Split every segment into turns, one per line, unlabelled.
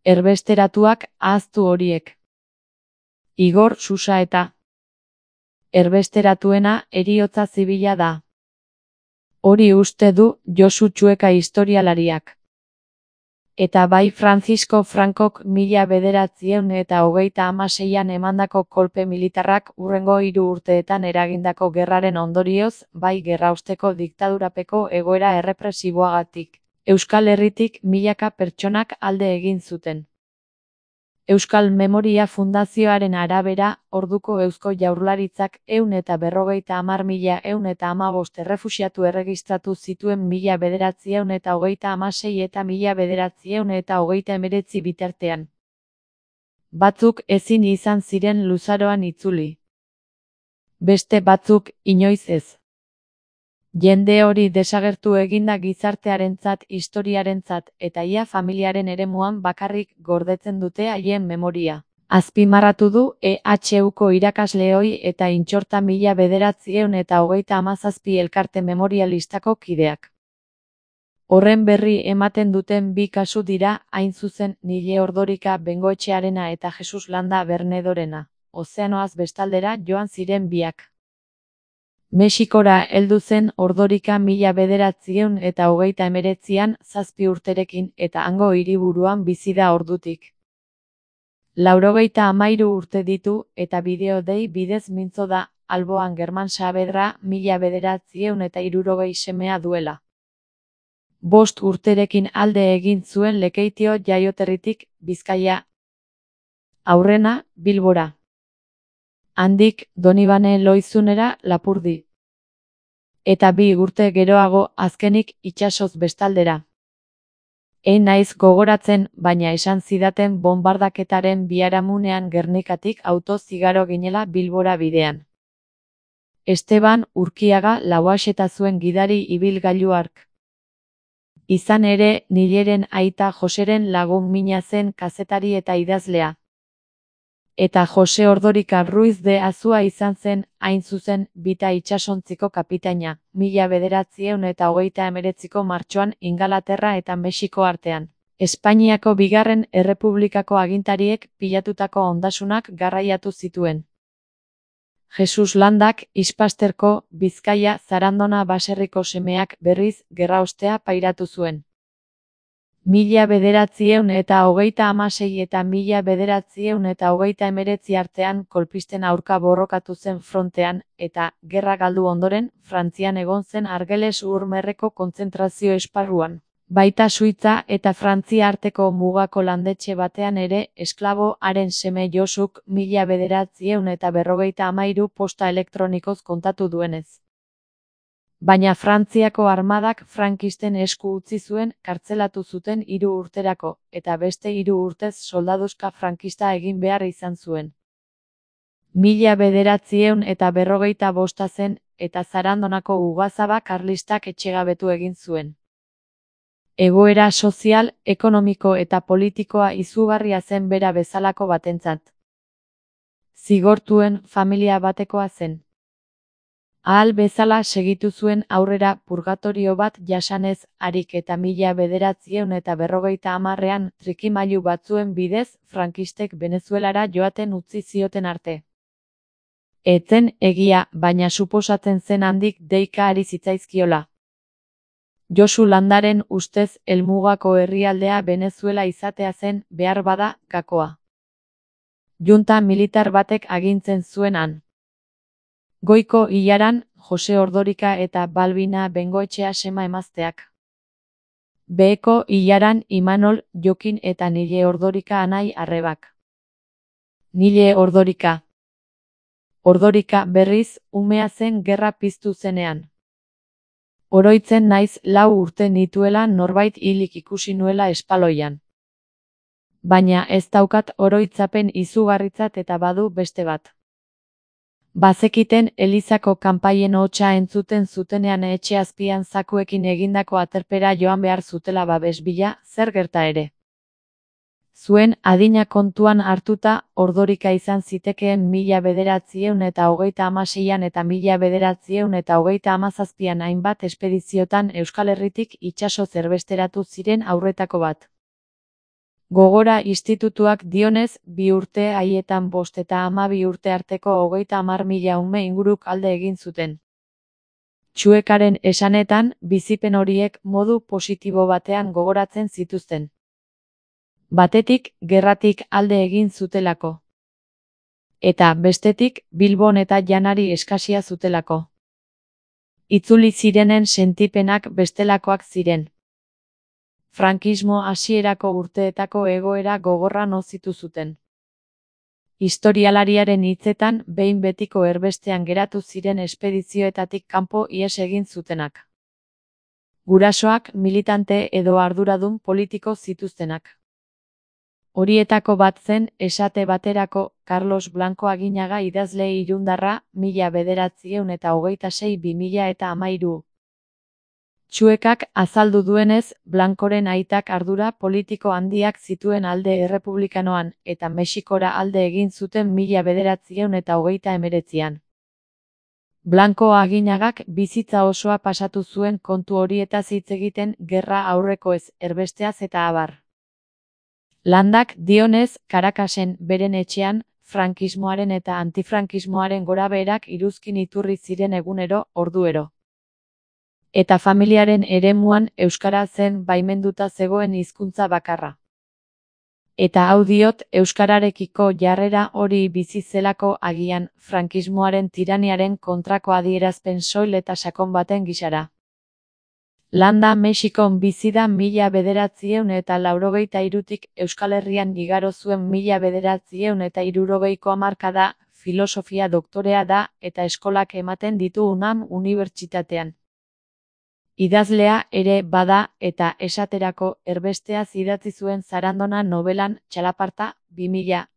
Erbesteratuak ahaztu horiek. Igor Susaeta. Erbesteratuena heriotza zibila da. Hori uste du Josu Txueka historialariak. Eta bai Francisco Francok 1926an emandako kolpe militarrak hurrengo 3 urteetan eragindako gerraren ondorioz, bai gerraosteko diktadurapeko egoera errepresiboagatik. Euskal Herritik milaka pertsonak alde egin zuten. Euskal Memoria Fundazioaren arabera, orduko Eusko Jaurlaritzak 150.115 errefuxiatu erregistratu zituen 1936 eta 1939 bitartean. Batzuk ezin izan ziren luzaroan itzuli. Beste batzuk inoiz ez. Jende hori desagertu eginda gizartearentzat, historiarentzat eta ia familiaren eremuan bakarrik gordetzen dute haien memoria. Azpimarratu du EHUko irakasleoi eta Intxorta 1937 elkarte memorialistako kideak. Horren berri ematen duten 2 kasu dira, hain zuzen, Nile Ordorika Bengoetxearena eta Jesus Landa Bernedorena. Ozeanoaz bestaldera joan ziren biak. Mexikora heldu zen Ordorika 1939an 7 urterekin eta hango hiriburuan bizi da ordutik. 93 urte ditu eta bideo-dei bidez mintzo da, alboan German Saavedra 1960 semea duela. 5 urterekin alde egin zuen Lekeitio jaioterritik, Bizkaia. Aurrena, Bilbora. Handik, Donibane Loizunera, Lapurdi. Eta 2 urte geroago, azkenik, itsasoz bestaldera. Naiz gogoratzen, baina esan zidaten bonbardaketaren biharamunean Gernikatik autoz igaro ginela Bilbora bidean. Esteban Urkiaga Lauaxeta zuen gidari ibilgailu hark. Izan ere, Nileren aita Joseren lagun mina zen kazetari eta idazlea. Eta Jose Ordorika Ruiz de Azua izan zen, hain zuzen, Bita itsasontziko kapitaina, 1939ko martxoan Ingalaterra eta Mexiko artean. Espainiako Bigarren Errepublikako agintariek pilatutako ondasunak garraiatu zituen. Jesus Landak, Ispasterko, Bizkaia, Zarandona baserriko semeak berriz gerraostea pairatu zuen. 1936 eta 1939 artean kolpisten aurka borrokatu zen frontean, eta, gerra galdu ondoren, Frantzian egon zen Argeles Urmerreko kontzentrazio esparruan. Baita Suitza eta Frantzia arteko mugako landetxe batean ere, esklabo haren seme Josuk 1953 posta elektronikoz kontatu duenez. Baina Frantziako armadak frankisten esku utzi zuen, kartzelatu zuten 3 urterako, eta beste 3 urtez soldaduzka frankista egin behar izan zuen. 1945 zen, eta Zarandonako ugazaba karlistak etxegabetu egin zuen. Egoera sozial, ekonomiko eta politikoa izugarria zen bera bezalako batentzat. Zigortuen familia batekoa zen. Ahal bezala segitu zuen aurrera purgatorio bat jasanez, harik eta 1950ean trikimailu batzuen bidez, frankistek Venezuelara joaten utzi zioten arte. Etzen egia, baina suposatzen zen handik deika ari zitzaizkiola. Josu Landaren ustez helmugako herrialdea Venezuela izatea zen, behar bada, gakoa. Junta militar batek agintzen zuen han. Goiko ilaran, Jose Ordorika eta Balbina Bengoetxea sema emazteak. Beheko ilaran Imanol, Jokin eta Nile Ordorika anai arrebak. Nile Ordorika. Ordorika berriz, umea zen gerra piztu zenean. Oroitzen naiz 4 urte nituela norbait hilik ikusi nuela espaloian. Baina ez daukat oroitzapen izugarritzat eta badu beste bat. Bazekiten Elizako kanpaien hotsa entzuten zutenean etxe azpian zakuekin egindako aterpera joan behar zutela babes bila, zer gerta ere. Zuen adina kontuan hartuta, Ordorika izan zitekeen 1936an eta 1937an hainbat espediziotan Euskal Herritik itsasoz erbesteratu ziren aurretako bat. Gogora institutuak dionez, 2 urte haietan 5 eta 12 urte arteko 30.000 ume inguruk alde egin zuten. Txuekaren esanetan, bizipen horiek modu positibo batean gogoratzen zituzten. Batetik, gerratik alde egin zutelako. Eta, bestetik, Bilbon eta janari eskasia zutelako. Itzuli zirenen sentipenak bestelakoak ziren. Frankismo hasierako urteetako egoera gogorra nozitu zuten. Historialariaren hitzetan, behin betiko erbestean geratu ziren espedizioetatik kanpo ihes egin zutenak. Gurasoak, militante edo arduradun politiko zituztenak. Horietako bat zen, esate baterako, Carlos Blanco Aginaga idazle irundarra, 1926-2013. Txuekak azaldu duenez, Blancoren aitak ardura politiko handiak zituen alde errepublikanoan, eta Mexikora alde egin zuten 1929. Blanco Aginagak bizitza osoa pasatu zuen kontu horietaz hitz egiten, gerra aurrekoez, erbesteaz eta abar. Landak dionez, Caracasen, beren etxean, frankismoaren eta antifrankismoaren gorabeherak iruzkin iturri ziren egunero, orduero. Eta familiaren eremuan euskara zen baimenduta zegoen hizkuntza bakarra. Eta hau diot, euskararekiko jarrera hori bizi zelako agian, frankismoaren tiraniaren kontrako adierazpen soil eta sakon baten gisara. Landa Mexikon bizi da 1983tik Euskal Herrian igaro zuen 1960ko hamarkada, filosofia doktorea da eta eskolak ematen ditu UNAM unibertsitatean. Idazlea ere bada eta esaterako erbesteaz idatzi zuen Zarandona nobelan Txalaparta, 2000.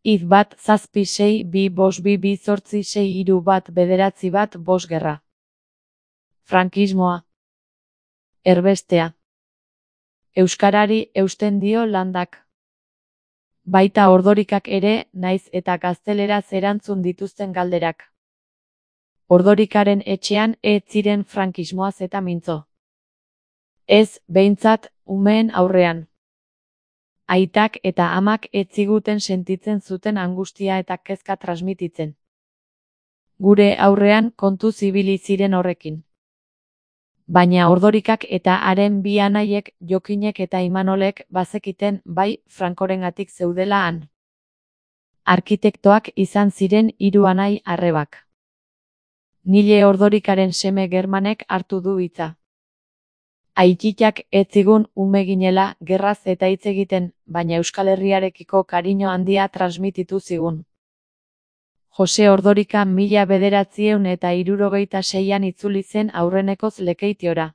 Hitz 1-7-6-2-5-2-8-6-3-1-9 gerra. Frankismoa. Erbestea. Euskarari eusten dio Landak. Baita Ordorikak ere, naiz eta gazteleraz erantzun dituzten galderak. Ordorikaren etxean ez ziren frankismoaz eta mintzo. Ez, behintzat, umeen aurrean. Aitak eta amak ez ziguten sentitzen zuten angustia eta kezka transmititzen. Gure aurrean kontu zibili ziren horrekin. Baina Ordorikak eta haren bi anaiek, Jokinek eta Imanolek, bazekiten, bai, Frankorengatik zeudela han. Arkitektoak izan ziren 3 anai arrebak. Nile Ordorikaren seme Germanek hartu du hitza. Aititak ez zigun ume ginela, gerraz eta hitz egiten, baina Euskal Herriarekiko kariño handia transmititu zigun. Jose Ordorika 1976an itzuli zen aurrenekoz Lekeitiora.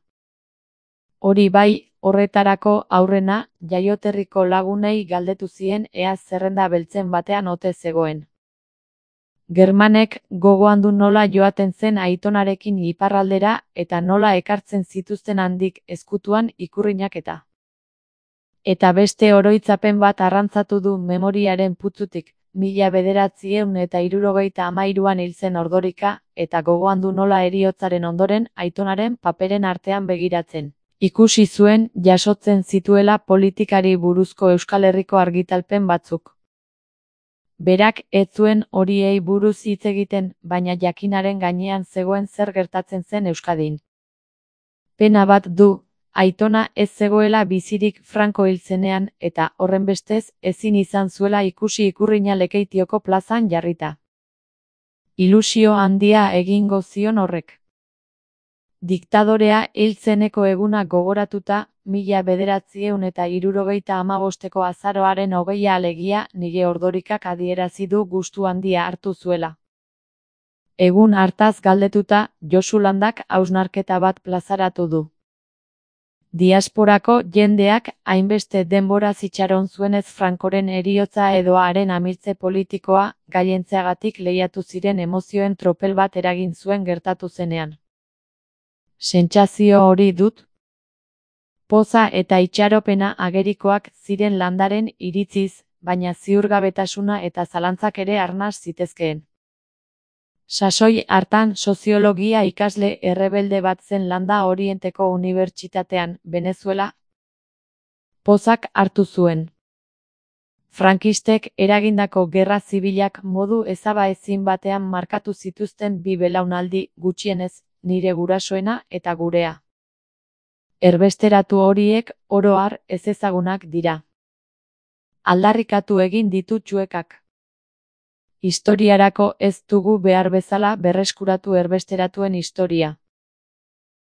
Hori bai, horretarako aurrena, jaioterriko lagunei galdetu zien ea zerrenda beltzen batean ote zegoen. Germanek gogoan du nola joaten zen aitonarekin iparraldera eta nola ekartzen zituzten handik ezkutuan ikurrinak eta. Eta beste oroitzapen bat arrantzatu du memoriaren putzutik, 1973an hil zen Ordorika, eta gogoan du nola heriotzaren ondoren aitonaren paperen artean begiratzen. Ikusi zuen jasotzen zituela politikari buruzko Euskal Herriko argitalpen batzuk. Berak ez zuen horiei buruz hitz egiten, baina jakinaren gainean zegoen zer gertatzen zen Euskadin. Pena bat du, aitona ez zegoela bizirik Franko hil zenean eta horrenbestez ezin izan zuela ikusi ikurrina Lekeitioko plazan jarrita. Ilusio handia egingo zion horrek. Diktadorea hil zeneko eguna gogoratuta, 1975ko azaroaren 20 alegia, Nile Ordorikak adierazi du gustu handia hartu zuela. Egun hartaz galdetuta, Josu Landak hausnarketa bat plazaratu du. Diasporako jendeak hainbeste denbora itxaron zuenez Frankoren heriotza edo haren amiltze politikoa, gaientzeagatik lehiatu ziren emozioen tropel bat eragin zuen gertatu zenean. Sentsazio hori dut? Poza eta itxaropena agerikoak ziren Landaren iritziz, baina ziurgabetasuna eta zalantzak ere arnas zitezkeen. Sasoi hartan soziologia ikasle errebelde bat zen Landa Orienteko Unibertsitatean, Venezuela. pozak hartu zuen. Frankistek eragindako gerra zibilak modu ezabaezin batean markatu zituzten bi belaunaldi, gutxienez, nire gurasoena eta gurea. Erbesteratu horiek oro har ezezagunak dira. Aldarrikatu egin ditu Txuekak. Historiarako ez dugu behar bezala berreskuratu erbesteratuen historia.